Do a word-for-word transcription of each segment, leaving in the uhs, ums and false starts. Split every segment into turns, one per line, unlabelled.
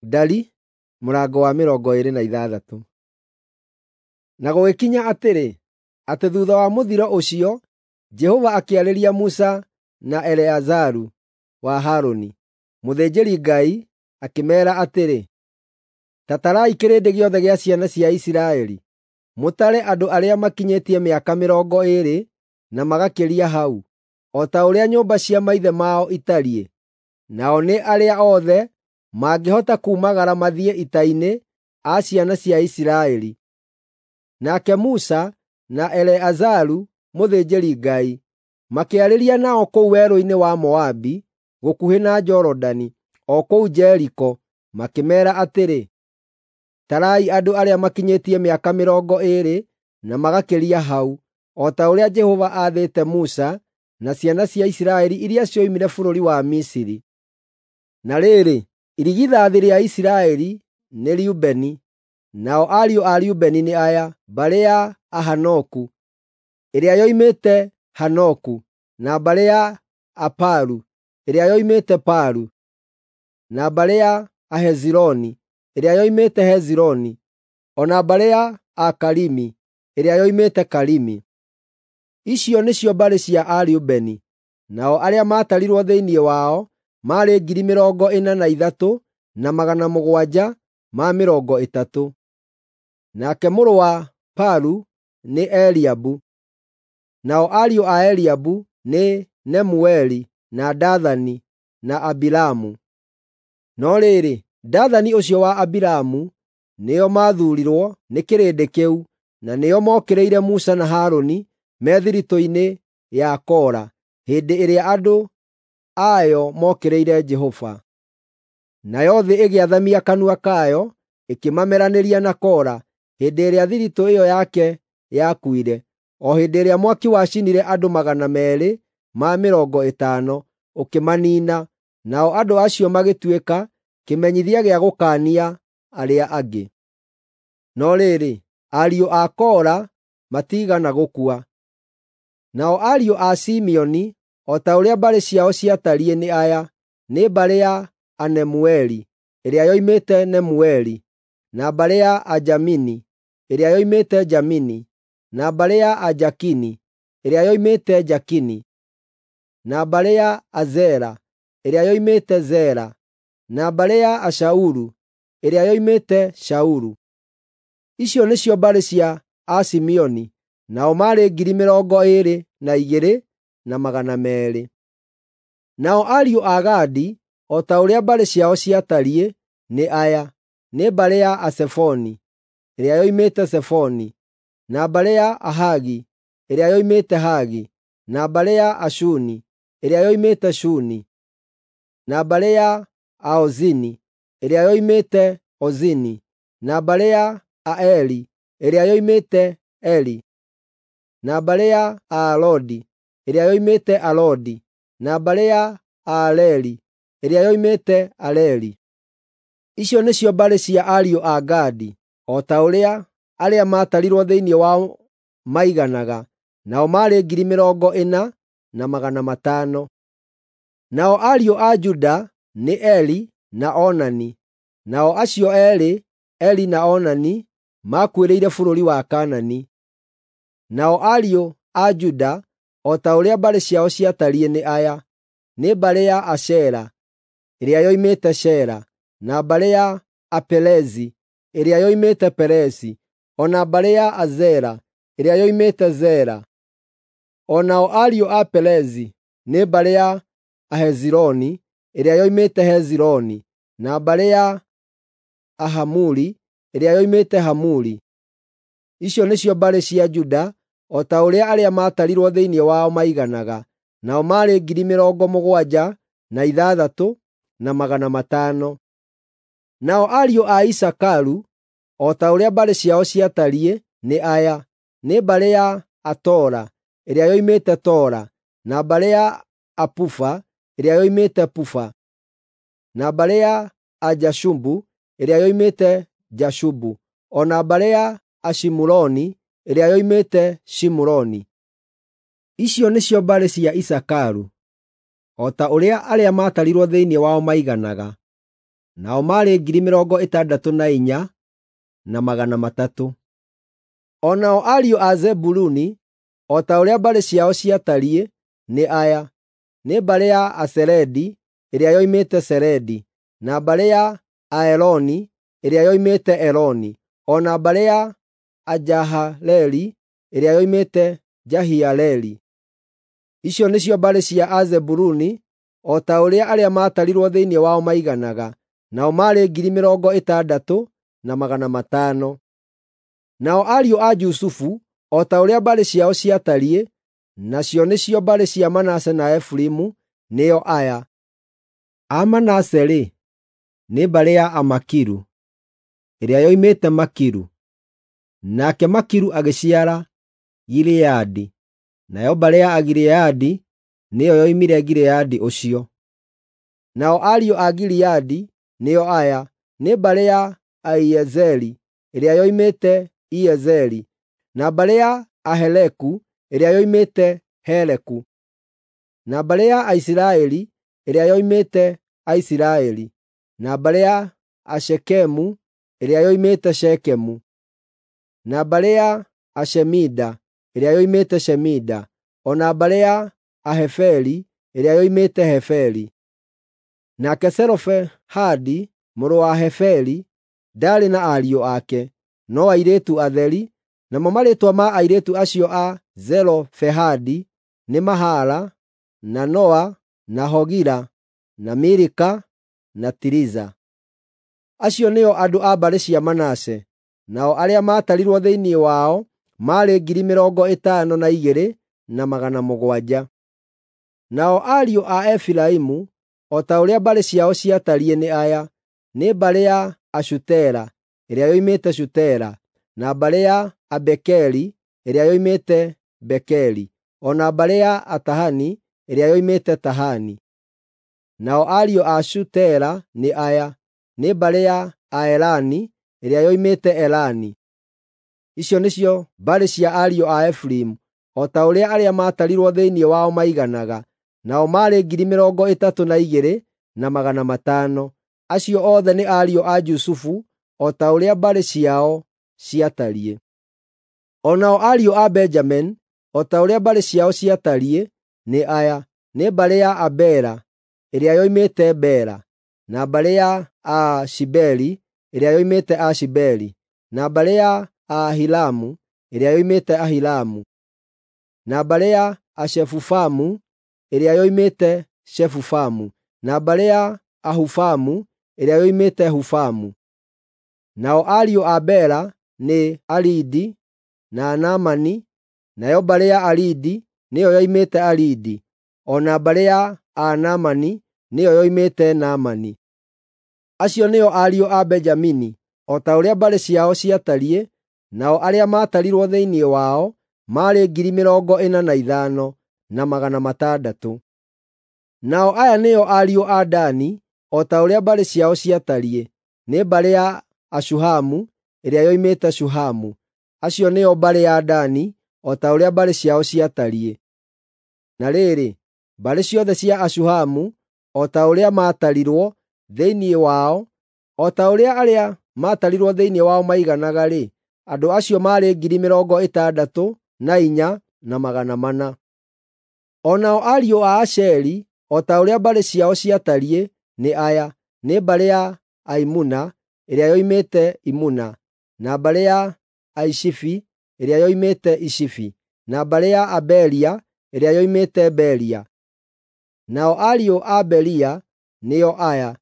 Ndari mũrango wa mĩrongo ĩĩrĩ na ithathatũ. Na gũgĩkinya atĩrĩ, atĩ thuutha wa mũthiro ũcio, Jehova akĩarĩria Musa na Eleazaru wa Harũni, mũthĩnjĩri-Ngai, akĩmeera atĩrĩ, “Ta tarai kĩrĩndĩ gĩothe gĩa ciana cia Isiraeli, mũtare andũ arĩa makinyĩtie mĩaka mĩrongo ĩĩrĩ na magakĩria hau, o ta ũrĩa nyũmba cia maithe mao itariĩ, nao nĩ arĩa othe mangĩhota kuumagara mathiĩ ita-inĩ a ciana cia Isiraeli.” Nake Musa na Eleazaru mũthĩnjĩri-Ngai makĩarĩria nao kũu werũ-inĩ wa Moabi gũkuhĩ na Jorodani, o kũu Jeriko, makĩmeera atĩrĩ, “Tarai andũ arĩa makinyĩtie mĩaka mĩrongo ĩĩrĩ na magakĩria hau, o ta ũrĩa Jehova aathĩte Musa na ciana cia Isiraeli iria cioimire bũrũri wa Misiri.” Na rĩrĩ, irigithathi rĩa Isiraeli nĩ Rubeni, nao ariũ a Rubeni nĩ aya: mbarĩ ya Ahanoku, ĩrĩa yoimĩte Hanoku, na mbarĩ ya Apalu, ĩrĩa yoimĩte Palu, na mbarĩ ya Ahezironi, ĩrĩa yoimĩte Hezironi, o na mbarĩ ya Akarimi, ĩrĩa yoimĩte Karimi. Icio nĩcio mbarĩ cia Arubeni, nao arĩa maatarirwo thĩinĩ wao maarĩ ngiri mĩrongo ĩna na ithatũ na magana mũgwanja ma mĩrongo ĩtatũ. Nake mũrũ wa Palu nĩ Eliabu. Nao ariũ a Eliabu nĩ Nemueli, na Dathani na Abiramu. No rĩrĩ, Dathani ũcio wa Abiramu nĩo maathuurirwo nĩ kĩrĩndĩ kĩu, na nĩo mookĩrĩire Musa na Harũni me thiritũ-inĩ ya Kora hĩndĩ ĩrĩa andũ ayo mookĩrĩire Jehova. Nayo thĩ ĩgĩathamia kanua kayo ĩkĩmameranĩria na Kora hĩndĩ ĩrĩa thiritũ ĩyo yake yakuire, o hĩndĩ ĩrĩa mwaki wacinire andũ magana meerĩ ma mĩrongo ĩtano, ũkĩmaniina, nao andũ acio magĩtuĩka kĩmenyithia gĩa gũkaania arĩa angĩ. No rĩrĩ, ariũ a Kora matiigana gũkua. Nao ariũ a Simeoni, o ta ũrĩa mbarĩ ciao ciatariĩ nĩ aya: nĩ mbarĩ ya Anemueli, ĩrĩa yoimĩte Nemueli, na mbarĩ ya Ajamini, ĩrĩa yoimĩte Jamini, na mbarĩ ya Ajakini, ĩrĩa yoimĩte Jakini, na mbarĩ ya Azera, ĩrĩa yoimĩte Zera, na mbarĩ ya Ashaulu, ĩrĩa yoimĩte Shaulu. Icio nĩcio mbarĩ cia Asimeoni, nao maarĩ ngiri mĩrongo ĩĩrĩ na igĩrĩ na magana meerĩ. Nao ariũ a Gadi, o ta ũrĩa mbarĩ ciao ciatariĩ, nĩ aya: nĩ mbarĩ ya Asefoni, ĩrĩa yoimĩte Zefoni, na mbarĩ ya Ahagi, ĩrĩa yoimĩte Hagi, na mbarĩ ya Ashuni, ĩrĩa yoimĩte Shuni, na mbarĩ ya Aozini, ĩrĩa yoimĩte Ozini, na mbarĩ ya Aeli, ĩrĩa yoimĩte Eli, na mbarĩ ya Aalodi, ĩrĩa yoimĩte Alodi, na mbarĩ ya Aaleli, ĩrĩa yoimĩte Areli. Icio nĩcio mbarĩ cia ariũ a Gadi, o ta ũrĩa arĩa maatarirwo thĩinĩ wao maiganaga, nao maarĩ ngiri mĩrongo ĩna na magana matano. Nao ariũ a Juda nĩ Eri na Onani. Nao acio eerĩ, Eri na Onani, maakuĩrĩire bũrũri wa Kaanani. Nao ariũ a Juda, o ta ũrĩa mbarĩ ciao ciatariĩ nĩ aya: nĩ mbarĩ ya Ashera, ĩrĩa yoimĩte Shera, na mbarĩ ya Aperezi, ĩrĩa yoimĩte Perezi, o na mbarĩ ya Azera, ĩrĩa yoimĩte Zera. O nao ariũ a Perezi nĩ mbarĩ ya Ahezironi, ĩrĩa yoimĩte Hezironi, na mbarĩ ya Ahamuli, ĩrĩa yoimĩte Hamuli. Icio nĩcio mbarĩ cia Juda, o ta ũrĩa arĩa maatarirwo thĩinĩ wao maiganaga, nao maarĩ ngiri mĩrongo mũgwanja na ithathatũ na magana matano. Nao ariũ a Isakaru, o ta ũrĩa mbarĩ ciao ciatariĩ, nĩ aya: nĩ mbarĩ ya Atola, ĩrĩa yoimĩte Tola, na mbarĩ ya Apufa, ĩrĩa yoimĩte Pufa, na mbarĩ ya Ajashubu, ĩrĩa yoimĩte Jashubu, o na mbarĩ ya Ashimuroni, ĩrĩa yoimĩte Shimuroni. Icio nĩcio mbarĩ cia Isakaru, o ta ũrĩa arĩa maatarirwo thĩinĩ wao maiganaga. nao maarĩ ngiri mĩrongo ĩtandatũ na inya na magana matatũ. O nao ariũ a Zebuluni, o ta ũrĩa mbarĩ ciao ciatariĩ, nĩ aya: nĩ mbarĩ ya Aseredi ĩrĩa yoimĩte Seredi, na mbarĩ ya Aeloni ĩrĩa yoimĩte Eloni, o na mbarĩ ya Ajahaleli ĩrĩa yoimĩte Jahialeli. Icio nĩcio mbarĩ cia Azebuluni o ta ũrĩa arĩa maatarirwo thĩinĩ wao maiganaga, nao maarĩ ngiri mĩrongo ĩtandatũ na magana matano. Nao ariũ a Jusufu, o ta ũrĩa mbarĩ ciao ciatariĩ, nacio nĩcio mbarĩ cia Manase na Efiraimu, nĩo aya: A Manase-rĩ, nĩ mbarĩ ya Amakiru, ĩrĩa yoimĩte Makiru. Nake Makiru agĩciara Gileadi, nayo mbarĩ ya Agileadi nĩyo yoimire Gileadi ũcio. Nao ariũ a Gileadi nĩo aya: nĩ mbarĩ ya Aiezeli ĩrĩa yoimĩte Iezeli, na mbarĩ ya Aheleku ĩrĩa yoimĩte Heleku, na mbarĩ ya Aisiraeli ĩrĩa yoimĩte Aisiraeli, na mbarĩ ya Ashekemu ĩrĩa yoimĩte Shekemu, na mbarĩ ya Ashemida ĩrĩa yoimĩte Shemida, o na mbarĩ ya Aheferi ĩrĩa yoimĩte Heferi. Nake Zelofehadi mũrũ wa Heferi ndaarĩ na ariũ ake, no airĩtu atheri, namo marĩĩtwa ma airĩtu acio a Zelofehadi nĩ Mahala, na Noa, na Hogila, na Milika, na Tiriza. Acio nĩo andũ a mbarĩ cia Manase, nao arĩa maatarirwo thĩinĩ wao maarĩ ngiri mĩrongo ĩtano na igĩrĩ na magana mũgwanja. Nao ariũ a Efiraimu, o ta ũrĩa mbarĩ ciao ciatariĩ nĩ aya: nĩ mbarĩ ya Ashutela ĩrĩa yoimĩte Shutela, na mbarĩ ya Abekeri ĩrĩa yoimĩte Bekeri, o na mbarĩ ya Atahani ĩrĩa yoimĩte Tahani. Nao ariũ a Shutela nĩ aya: nĩ mbarĩ ya Aelani ĩrĩa yoimĩte Elani. Icio nĩcio mbarĩ cia ariũ a Efiraimu, o ta ũrĩa arĩa maatarirwo thĩinĩ wao maiganaga, nao maarĩ ngiri mĩrongo ĩtatũ na igĩrĩ na magana matano. Acio othe nĩ ariũ a Jusufu o ta ũrĩa mbarĩ ciao ciatariĩ. O nao ariũ a Benjamini, o ta ũrĩa mbarĩ ciao ciatariĩ, nĩ aya: nĩ mbarĩ ya Abela ĩrĩa yoimĩte Bela, na mbarĩ ya Ashibeli ĩrĩa yoimĩte Ashibeli, na mbarĩ ya Ahilamu ĩrĩa yoimĩte Ahilamu, na mbarĩ ya Ashefufamu ĩrĩa yoimĩte Shefufamu, na mbarĩ ya Ahufamu ĩrĩa yoimĩte Hufamu. Nao ariũ a Bela nĩ Aridi na Naamani, nayo mbarĩ ya Aridi nĩyo yoimĩte Aridi, o na mbarĩ ya Anaamani nĩyo yoimĩte Naamani. Acio nĩo ariũ a Benjamini, o ta ũrĩa mbarĩ ciao ciatariĩ, nao arĩa maatarirwo thĩinĩ wao maarĩ ngiri mĩrongo ĩna na ithano na magana matandatũ. Nao aya nĩo ariũ a Dani, o ta ũrĩa mbarĩ ciao ciatariĩ: nĩ mbarĩ ya Ashuhamu ĩrĩa yoimĩte Shuhamu. Acio nĩo mbarĩ ya Dani, o ta ũrĩa mbarĩ ciao ciatariĩ. Na rĩrĩ, mbarĩ ciothe cia Ashuhamu, o ta ũrĩa maatarirwo thĩinĩ wao, o ta ũrĩa arĩa maatarirwo thĩinĩ wao maiganaga-rĩ, andũ acio maarĩ ngiri mĩrongo ĩtandatũ na inya na magana mana. O nao ariũ a Asheri, o ta ũrĩa mbarĩ ciao ciatariĩ, nĩ aya: nĩ mbarĩ ya Aimuna ĩrĩa yoimĩte Imuna, na mbarĩ ya Aishifi ĩrĩa yoimĩte Ishifi, na mbarĩ ya Aberia ĩrĩa yoimĩte Beria. Nao ariũ a Beria nĩo aya: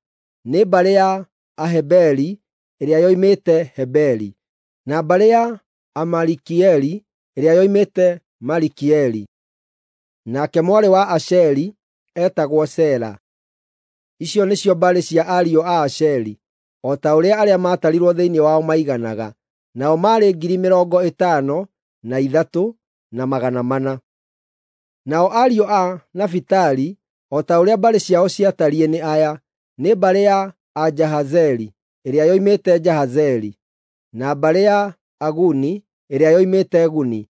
nĩ mbarĩ ya Aheberi ĩrĩa yoimĩte Heberi, na mbarĩ ya Amalikieli ĩrĩa yoimĩte Malikieli. Nake mwarĩ wa Asheri eetagwo Sera. Icio nĩcio mbarĩ cia ariũ a Asheri, o ta ũrĩa arĩa maatarirwo thĩinĩ wao maiganaga, nao maarĩ ngiri mĩrongo ĩtano na ithatũ na magana mana. Nao ariũ a Nafitali, o ta ũrĩa mbarĩ ciao ciatariĩ nĩ aya: nĩ mbarĩ ya Ajahazeli ĩrĩa yoimĩte Jahazeli, na mbarĩ ya Aguni ĩrĩa yoimĩte Guni,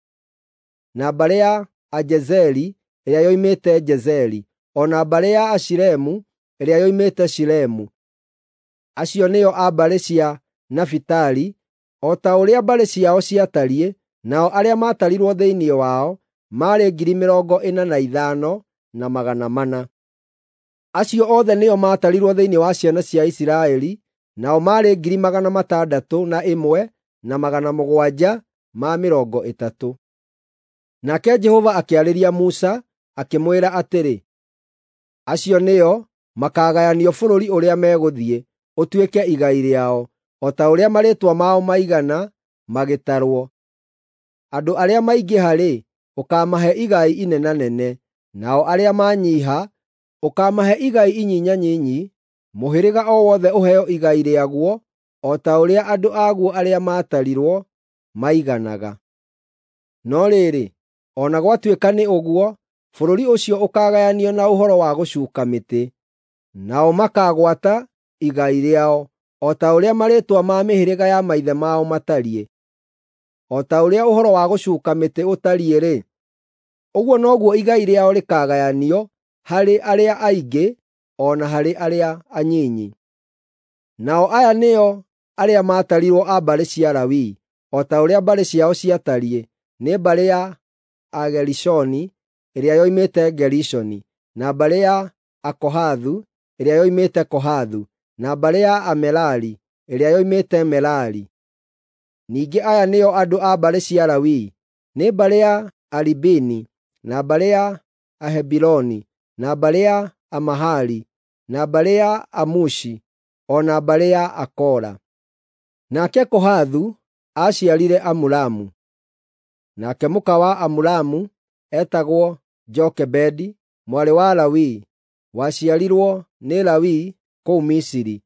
na mbarĩ ya Ajezeri ĩrĩa yoimĩte Jezeri, o na mbarĩ ya Ashilemu ĩrĩa yoimĩte Shilemu. Acio nĩo a mbarĩ cia Nafitali, o ta ũrĩa mbarĩ ciao ciatariĩ, nao arĩa maatarirwo thĩinĩ wao maarĩ ngiri mĩrongo ĩna na ithano na magana mana. Acio othe nĩo maatarirwo thĩinĩ wa ciana cia Isiraeli, nao maarĩ ngiri magana matandatũ na ĩmwe na magana mũgwanja ma mĩrongo ĩtatũ. Nake Jehova akĩarĩria Musa, akĩmwĩra atĩrĩ, acio nĩo makaagayanio bũrũri ũrĩa megũthiĩ, ũtuĩke igai rĩao, o ta ũrĩa marĩĩtwa mao maigana magĩtarwo. Andũ arĩa maingĩha-rĩ, ũkaamahe igai inenanene, nao arĩa manyiiha, ũkaamahe igai inyinyanyinyi, mũhĩrĩga o wothe ũheo igai rĩaguo o ta ũrĩa andũ aguo arĩa maatarirwo maiganaga. No rĩrĩ, o na gwatuĩka nĩ ũguo, bũrũri ũcio ũkaagayanio na ũhoro wa gũcuuka mĩtĩ, nao makaagwata igai rĩao, o ta ũrĩa marĩĩtwa ma mĩhĩrĩga ya maithe mao matariĩ. O ta ũrĩa ũhoro wa gũcuuka mĩtĩ ũtariĩ-rĩ, ũguo noguo igai rĩao rĩkaagayanio harĩ arĩa aingĩ o na harĩ arĩa anyinyi. Nao aya nĩo arĩa maatarirwo a mbarĩ cia Lawi, o ta ũrĩa mbarĩ ciao ciatariĩ, nĩ mbarĩ ya Agerishoni ĩrĩa yoimĩte Gerishoni, na mbarĩ ya Akohathu ĩrĩa yoimĩte Kohathu, na mbarĩ ya Amerari ĩrĩa yoimĩte Merari. Ningĩ aya nĩo andũ a mbarĩ cia Lawi, nĩ mbarĩ ya Alibini, na mbarĩ ya Ahebironi, na mbarĩ ya Amahali, na mbarĩ ya Amushi, o na mbarĩ ya Akora. Nake Kohathu aaciarire Amuramu. Nake mũka wa Amuramu eetagwo Jokebedi, mwarĩ wa Lawi, waciarirwo nĩ Lawi kũu Misiri.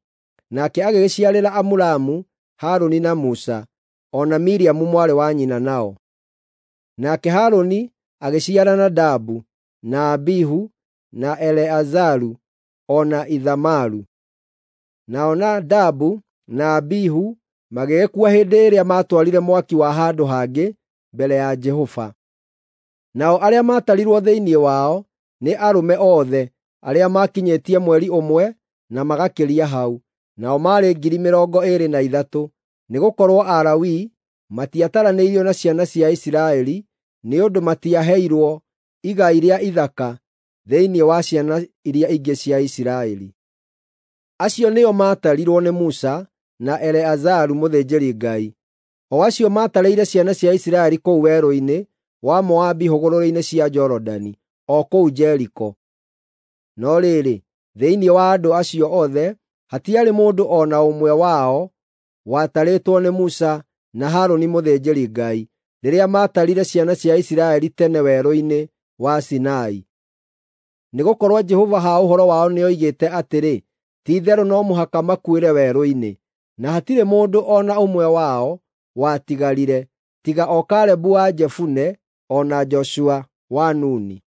Nake agĩgĩciarĩra Amuramu Harũni na Musa, o na Miriamu mwarĩ wa nyina nao. Nake Harũni agĩciara Nadabu, na Abihu, na Eleazaru, o na Ithamaru. Nao Nadabu na Abihu magĩgĩkua hĩndĩ ĩrĩa maatwarire mwaki wa handũ hangĩ mbere ya Jehova. Nao arĩa maatarirwo thĩinĩ wao nĩ arũme othe arĩa maakinyĩtie mweri ũmwe na magakĩria hau, nao maarĩ ngiri mĩrongo ĩĩrĩ na ithatũ, nĩgũkorwo Alawii matiataranĩirio na ciana cia Isiraeli nĩ ũndũ matiaheirwo igai rĩa ithaka thĩinĩ wa ciana iria ingĩ cia Isiraeli. Acio nĩo maatarirwo nĩ Musa na Eleazaru mũthĩnjĩri-Ngai, o acio maatarĩire ciana cia Isiraeli kũu werũ-inĩ wa Moabi hũgũrũrũ-inĩ cia Jorodani, o kũu Jeriko. No rĩrĩ, thĩinĩ wa andũ acio othe hatiarĩ mũndũ o na ũmwe wao watarĩtwo nĩ Musa na Harũni mũthĩnjĩri-Ngai rĩrĩa maatarire ciana cia Isiraeli tene werũ-inĩ wa Sinai. Nĩgũkorwo Jehova ha ũhoro wao nĩoigĩte atĩrĩ, ti-itherũ no mũhaka makuĩre werũ-inĩ, na hatirĩ mũndũ o na ũmwe wao watigarire, tiga o Kalebu wa Jefune o na Joshua wa Nuni.